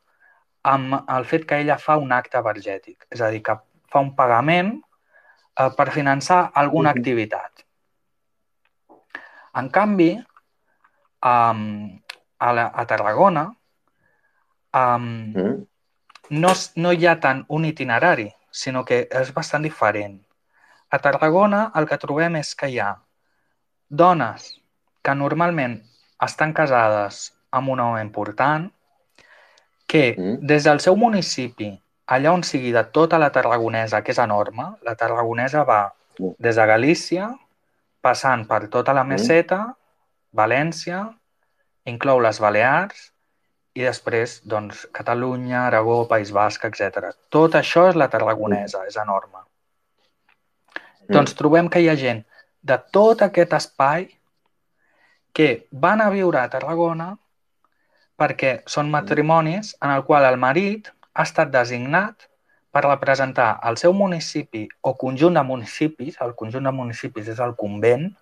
amb el fet que ella fa un acte avergètic. És a dir, que fa un pagament per finançar alguna activitat. En canvi, a Tarragona no hi ha tant un itinerari, sinó que és bastant diferent. A Tarragona el que trobem és que hi ha dones que normalment estan casades amb un home important, que des del seu municipi, allà on sigui de tota la Tarragonesa, que és enorme, la Tarragonesa va des de Galícia, passant per tota la Meseta, València, inclou les Balears i després doncs, Catalunya, Aragó, País Basc, etc. Tot això és la Tarragonesa, és enorme. Doncs trobem que hi ha gent de tot aquest espai que van a viure a Tarragona perquè són matrimonis en el qual el marit ha estat designat per representar el seu municipi o conjunt de municipis, el conjunt de municipis és el convent,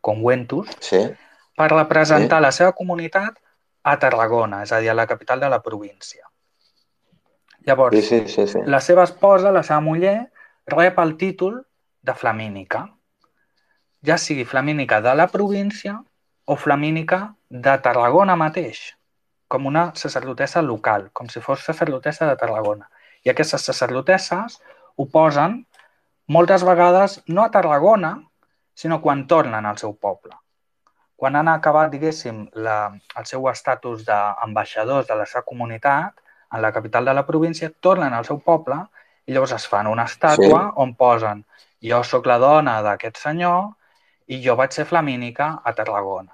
conventus, per representar la seva comunitat a Tarragona, és a dir, a la capital de la província. Llavors, Sí. la seva esposa, la seva muller, rep el títol de flamínica, ja sigui flamínica de la província o flamínica de Tarragona mateix, com una sacerdotessa local, com si fos sacerdotessa de Tarragona. I aquestes sacerdotesses ho posen moltes vegades no a Tarragona, sinó quan tornen al seu poble. Quan han acabat, diguéssim, el seu estatus d'ambaixadors de la seva comunitat, en la capital de la província, tornen al seu poble i llavors es fan una estàtua on posen jo sóc la dona d'aquest senyor i jo vaig ser flamínica a Tarragona.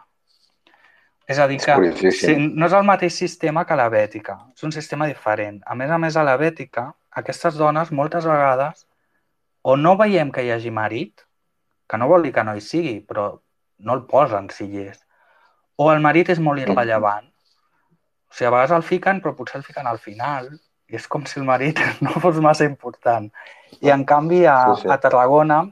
És a dir, que no és el mateix sistema que la Bètica, és un sistema diferent. A més, a la Bètica, aquestes dones moltes vegades o no veiem que hi hagi marit, que no vol dir que no hi sigui, però no el posen si hi és. O el marit és molt irrellevant. O sigui, a vegades el fiquen, però potser el fiquen al final. I és com si el marit no fos massa important. I en canvi, a Tarragona,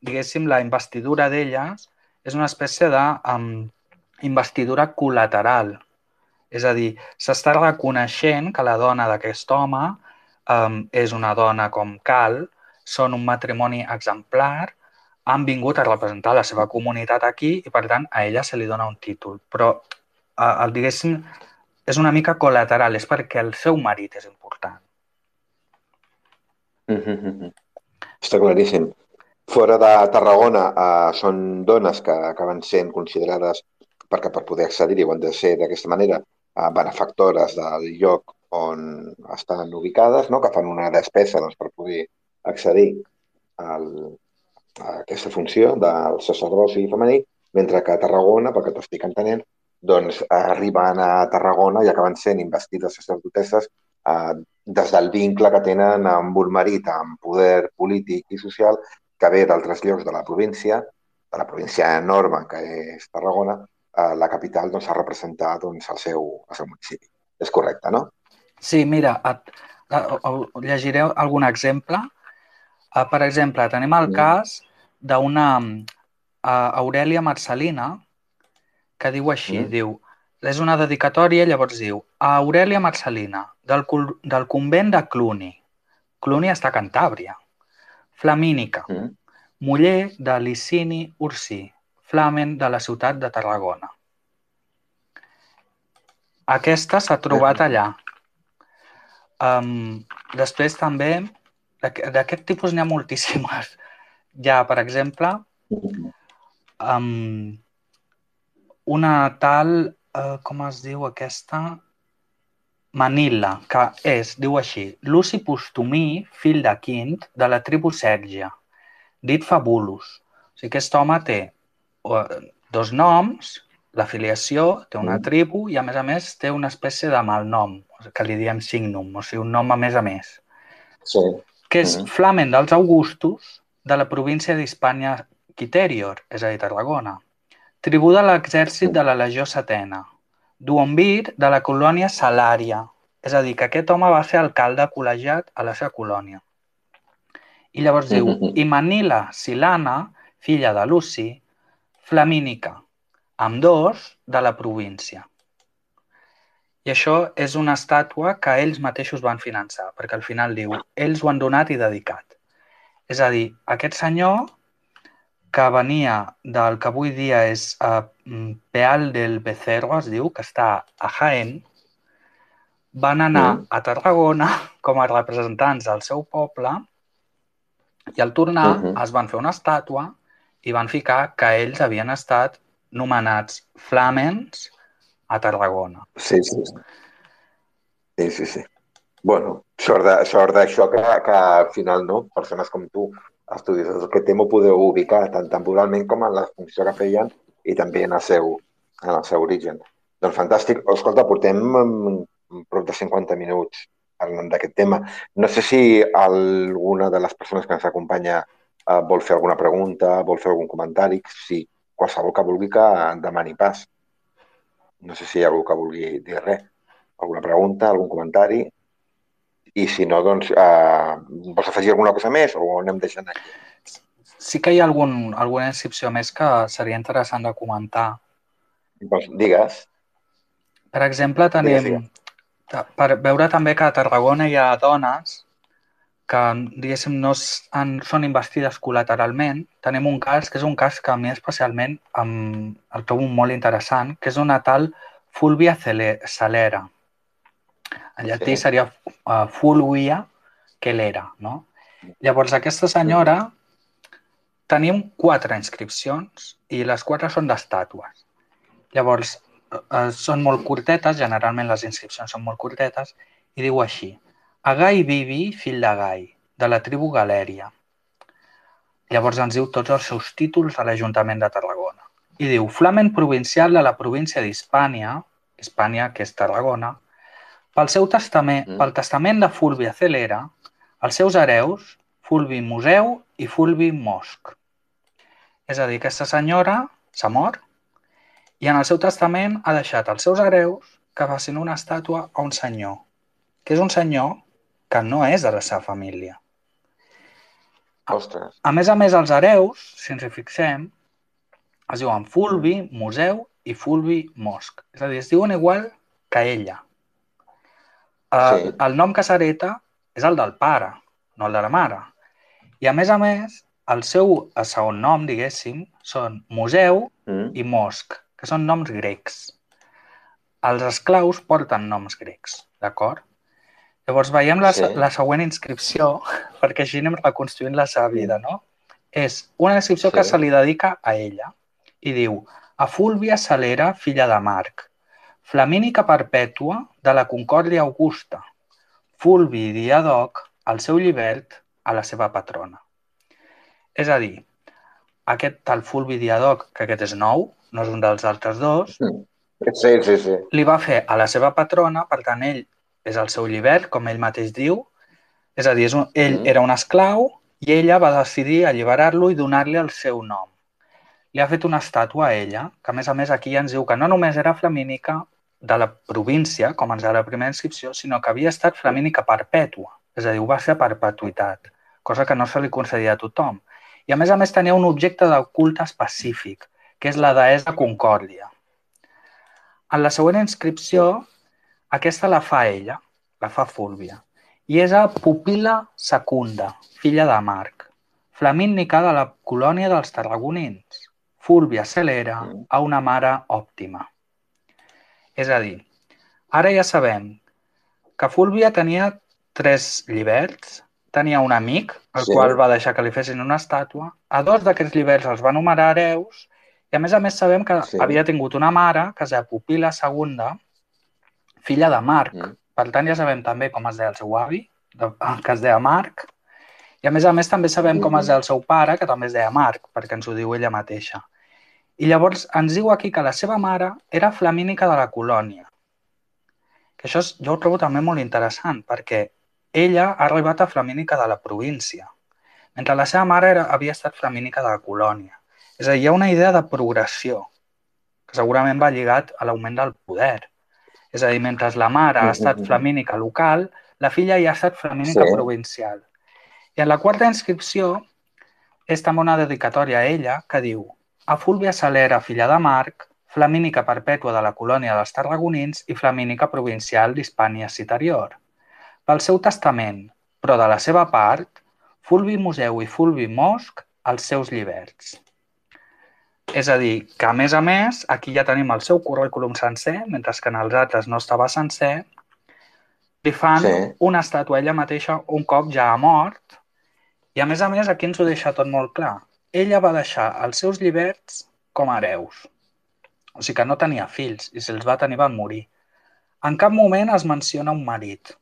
diguéssim, la investidura d'elles és una espècie d'investidura col·lateral. És a dir, s'està reconeixent que la dona d'aquest home és una dona com cal, són un matrimoni exemplar, han vingut a representar la seva comunitat aquí i, per tant, a ella se li dona un títol. Però, diguéssim, és una mica col·lateral, és perquè el seu marit és important. Està claríssim. Fora de Tarragona són dones que acaben sent considerades, perquè per poder accedir-hi ho han de ser d'aquesta manera, benefactores del lloc on estan ubicades, no? Que fan una despesa per poder accedir a aquesta funció del sacerdoci femení, mentre que a Tarragona, perquè t'estic entenent, doncs arriben a Tarragona i acaben sent investides sacerdotesses des del vincle que tenen amb un marit amb poder polític i social que ve d'altres llocs de la província enorme que és Tarragona, la capital doncs, a representar doncs, el seu municipi. És correcte, no? Sí, mira, llegiré algun exemple. Per exemple, tenim el cas d'una Aurèlia Marcel·lina que diu així, diu, és una dedicatòria, llavors diu, a Aurèlia Marcel·lina, del convent de Cluny. Cluny està a Cantàbria. Flamínica, muller de Licini Ursí, flamen de la ciutat de Tarragona. Aquesta s'ha trobat allà. Després també, d'aquest tipus n'hi ha moltíssimes. Hi ha, per exemple, una tal, com es diu aquesta? Manila, que diu així, Luci Postumí, fill de Quint, de la tribu Sèrgia, dit Fabulus. O sigui, aquest home té dos noms, la filiació, té una tribu i, a més, té una espècie de malnom, que li diem signum, o sigui, un nom a més. Sí. Que és flamen dels Augustus de la província d'Hispània Quiterior, és a dir, Tarragona. Tribú de l'exèrcit de la Legió Setena. Duumvir de la colònia Salària. És a dir, que aquest home va ser alcalde col·legiat a la seva colònia. I llavors diu, i Manila Silana, filla de Luci, flamínica, ambdós de la província. I això és una estàtua que ells mateixos van finançar, perquè al final diu, ells ho han donat i dedicat. És a dir, aquest senyor que venia del que avui dia és Peal del Becerro, es diu, que està a Jaén, van anar a Tarragona com a representants del seu poble i al tornar es van fer una estàtua i van ficar que ells havien estat nomenats flamens a Tarragona. Sí. Bueno, sort d'això que al final, no? Persones com tu, estudiosos d'aquest tema, ho podeu ubicar tant temporalment com en la funció que feien i també en el seu origen. Doncs fantàstic. Escolta, portem prop de 50 minuts parlant d'aquest tema. No sé si alguna de les persones que ens acompanya vol fer alguna pregunta, vol fer algun comentari. Si qualsevol que vulgui que demani pas. No sé si hi ha algú que vulgui dir res. Alguna pregunta, algun comentari? I si no, doncs, vols afegir alguna cosa més o anem deixant aquí? Sí que hi ha alguna inscripció més que seria interessant de comentar. Doncs digues. Per exemple, Digues. per veure també que a Tarragona hi ha dones que, diguéssim, no són investides col·lateralment. Tenim un cas, que és un cas que a mi especialment el trobo molt interessant, que és una tal Fulvia Celera. En llatí seria Fulvia Celera, no? Llavors, aquesta senyora tenim 4 inscripcions i les 4 són d'estàtues. Llavors, són molt curtetes, generalment les inscripcions són molt curtetes, i diu així: a Gai Bibi, fill de Gai, de la tribu Galèria. Llavors ens diu tots els seus títols a l'Ajuntament de Tarragona. I diu: flamen provincial de la província d'Hispània, Hispània, que és Tarragona, pel testament de Fulvia Celera, els seus hereus, Fulvi Museu i Fulvi Mosc. És a dir, aquesta senyora s'ha mort i en el seu testament ha deixat als seus hereus que facin una estàtua a un senyor, que és un senyor que no és de la seva família. Ostres. A més, els hereus, si ens hi fixem, es diuen Fulvi, Museu i Fulvi Mosc. És a dir, es diuen igual que ella. El nom que s'hereta és el del pare, no el de la mare. I a més, el seu segon nom, diguéssim, són Museu i Mosc, que són noms grecs. Els esclaus porten noms grecs, d'acord? Llavors veiem la següent inscripció, perquè així anem reconstruint la seva vida, no? És una inscripció que se li dedica a ella i diu: a Fulvia Celera, filla de Marc, flamínica perpètua de la Concòrdia Augusta, Fulvi Diadoc, el seu llibert, a la seva patrona. És a dir, aquest tal Fulvi Diadoc, que aquest és nou, no és un dels altres dos, li va fer a la seva patrona, per tant, ell és el seu llibert, com ell mateix diu, és a dir, ell era un esclau i ella va decidir alliberar-lo i donar-li el seu nom. Li ha fet una estàtua a ella, que a més aquí ens diu que no només era flamínica de la província, com ens deia la primera inscripció, sinó que havia estat flamínica perpètua, és a dir, ho va ser a perpetuïtat, cosa que no se li concedia a tothom. I a més tenia un objecte de culte específic, que és la deessa Concòrdia. En la següent inscripció, aquesta la fa ella, la fa Fulvia, i és a Pupila Secunda, filla de Marc, flamínica de la colònia dels tarragonins, Fulvia Celera, a una mare òptima. És a dir, ara ja sabem que Fulvia tenia 3 lliberts, tenia un amic, el qual va deixar que li fessin una estàtua, a 2 d'aquests lliberts els va nomenar hereus, i a més sabem que havia tingut una mare, que es deia Pupila Segunda, filla de Marc. Per tant, ja sabem també com es deia el seu avi, que es deia Marc, i a més també sabem com es deia el seu pare, que també es deia Marc, perquè ens ho diu ella mateixa. I llavors ens diu aquí que la seva mare era flamínica de la colònia. Que això jo ho trobo també molt interessant, perquè ella ha arribat a flamínica de la província, mentre la seva mare havia estat flamínica de la colònia. És a dir, hi ha una idea de progressió, que segurament va lligat a l'augment del poder. És a dir, mentre la mare ha estat flamínica local, la filla ja ha estat flamínica provincial. I en la 4a inscripció és també una dedicatòria a ella que diu: a Fulvia Celera, filla de Marc, flamínica perpètua de la colònia dels tarragonins i flamínica provincial d'Hispània Citerior. Pel seu testament, però de la seva part, Fulvi Museu i Fulvi Mosc, els seus lliberts. És a dir, que a més, aquí ja tenim el seu currículum sencer, mentre que en els altres no estava sencer, li fan una estàtua a ella mateixa un cop ja ha mort, i a més, aquí ens ho deixa tot molt clar. Ella va deixar els seus lliberts com a hereus. O sigui que no tenia fills, i si els va tenir van morir. En cap moment es menciona un marit,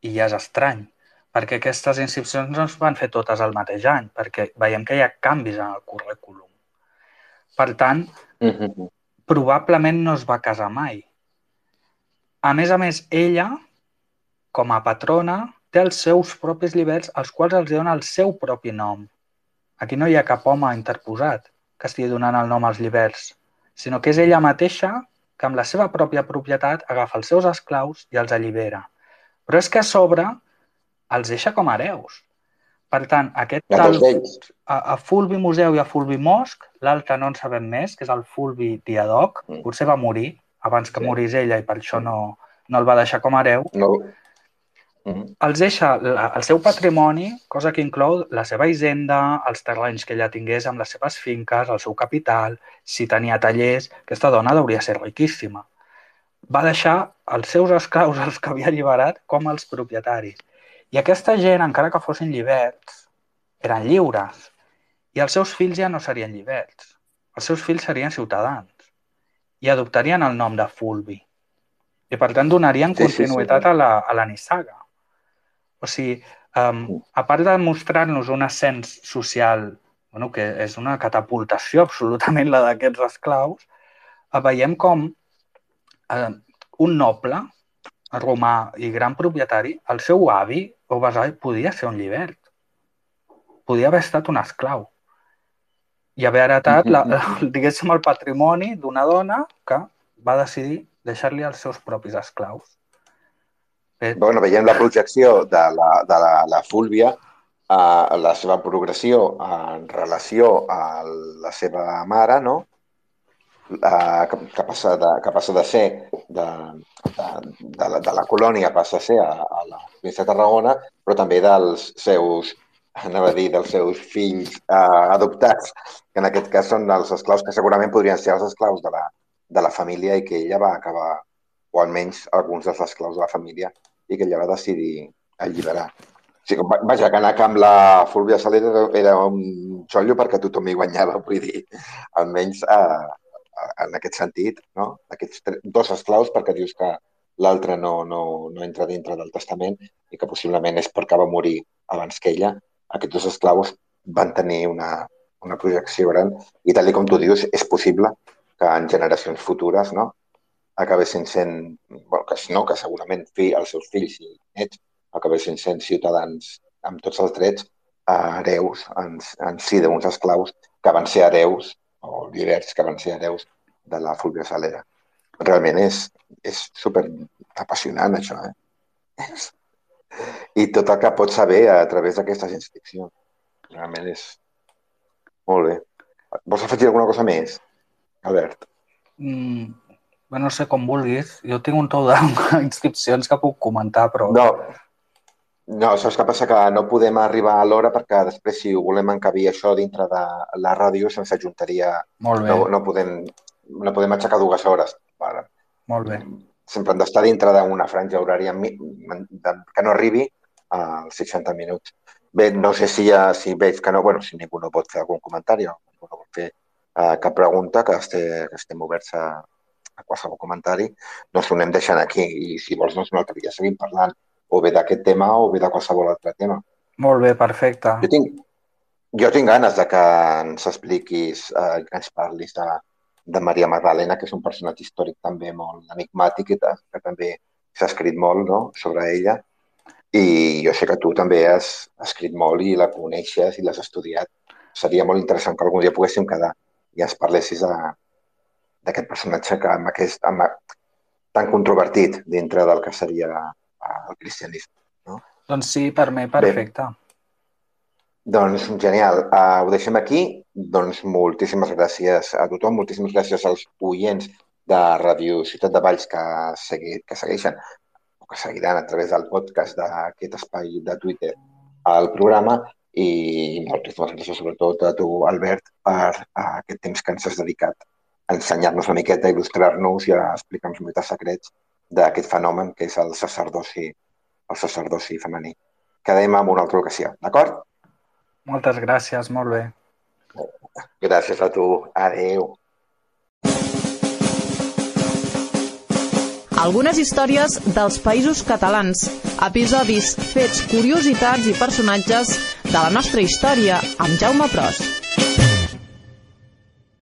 i ja és estrany, perquè aquestes inscripcions no es van fer totes al mateix any, perquè veiem que hi ha canvis en el currículum. Per tant, probablement no es va casar mai. A més, ella, com a patrona, té els seus propis lliberts, als quals els dona el seu propi nom. Aquí no hi ha cap home interposat que estigui donant el nom als lliberts, sinó que és ella mateixa que amb la seva pròpia propietat agafa els seus esclaus i els allibera. Però és que a sobre els deixa com a hereus. Per tant, aquest tal a Fulvi Museu i a Fulvi Mosc, l'altre no en sabem més, que és el Fulvi Diadoc, potser va morir abans que morís ella i per això no el va deixar com a hereu, els deixa el seu patrimoni, cosa que inclou la seva hisenda, els terrenys que ella tingués amb les seves finques, el seu capital, si tenia tallers. Aquesta dona hauria de ser riquíssima. Va deixar els seus esclaus, els que havia alliberat, com els propietaris. I aquesta gent, encara que fossin lliberts, eren lliures. I els seus fills ja no serien lliberts. Els seus fills serien ciutadans. I adoptarien el nom de Fulvi. I, per tant, donarien continuïtat a la nissaga. O sigui, a part de mostrar-nos un ascens social, que és una catapultació absolutament la d'aquests esclaus, veiem com un noble romà i gran propietari, el seu avi o besavi podia ser un llibert. Podia haver estat un esclau. I haver heretat, diguéssim, el patrimoni d'una dona que va decidir deixar-li els seus propis esclaus. Bueno, veiem la projecció de la Fúlvia, la seva progressió en relació a la seva mare, no? Que passa de ser de la colònia, passa a ser a la província de Tarragona, però també dels seus fills adoptats, que en aquest cas són els esclaus que segurament podrien ser els esclaus de la família i que ella va acabar, o almenys alguns dels esclaus de la família, i que ella va decidir alliberar. O sigui, vaja, que anar amb la Fúlvia Soler era un xollo perquè tothom hi guanyava, vull dir, almenys en aquest sentit, no? Aquests dos esclaus, perquè dius que l'altre no entra dintre del testament i que possiblement és perquè va morir abans que ella. Aquests dos esclaus van tenir una projecció gran i, tal com tu dius, és possible que en generacions futures, no?, acabessin sent, que segurament els seus fills i nets acabessin sent ciutadans amb tots els drets, hereus en si d'uns esclaus que van ser hereus, o lliberts que van ser hereus de la Fúlvia Salera. Realment és super apassionant, això, I tot el que pots saber a través d'aquestes inscripcions. Realment és molt bé. Vols afegir alguna cosa més, Albert? No sé, com vulguis. Jo tinc un tou d'inscripcions que puc comentar, però... No, saps què passa? Que no podem arribar a l'hora perquè després, si ho volem encabir això dintre de la ràdio, se'ns ajuntaria... Molt bé. No podem aixecar 2 hores. Molt bé. Sempre hem d'estar dintre d'una franja horària que no arribi als 60 minuts. Bé, no sé si veig que no... si ningú no pot fer algun comentari o ningú no vol fer cap pregunta, que estem oberts a qualsevol comentari, doncs ho anem deixant aquí i si vols un altre dia seguim parlant o bé d'aquest tema o bé de qualsevol altre tema. Molt bé, perfecte. Jo tinc ganes de que ens expliquis, que ens parlis de Maria Magdalena, que és un personatge històric també molt enigmàtic i que també s'ha escrit molt, no?, sobre ella, i jo sé que tu també has escrit molt i la coneixes i l'has estudiat. Seria molt interessant que algun dia poguéssim quedar i ens parlessis d'aquest personatge tan controvertit dintre del que seria el cristianisme. No? Doncs sí, per mi, perfecte. Bé, doncs genial. Ho deixem aquí. Doncs moltíssimes gràcies a tothom, moltíssimes gràcies als oients de Ràdio Ciutat de Valls que segueixen o que seguiran a través del podcast d'aquest espai de Twitter al programa i moltíssimes gràcies sobretot a tu, Albert, per aquest temps que ens has dedicat a ensenyar-nos una miqueta, a il·lustrar-nos i a explicar-nos una miqueta secrets d'aquest fenomen que és el sacerdoci femení. Quedem en una altra ocasió, d'acord? Moltes gràcies, molt bé. Gràcies a tu. Adéu. Algunes històries dels Països Catalans. Episodis, fets, curiositats i personatges de la nostra història amb Jaume Pros.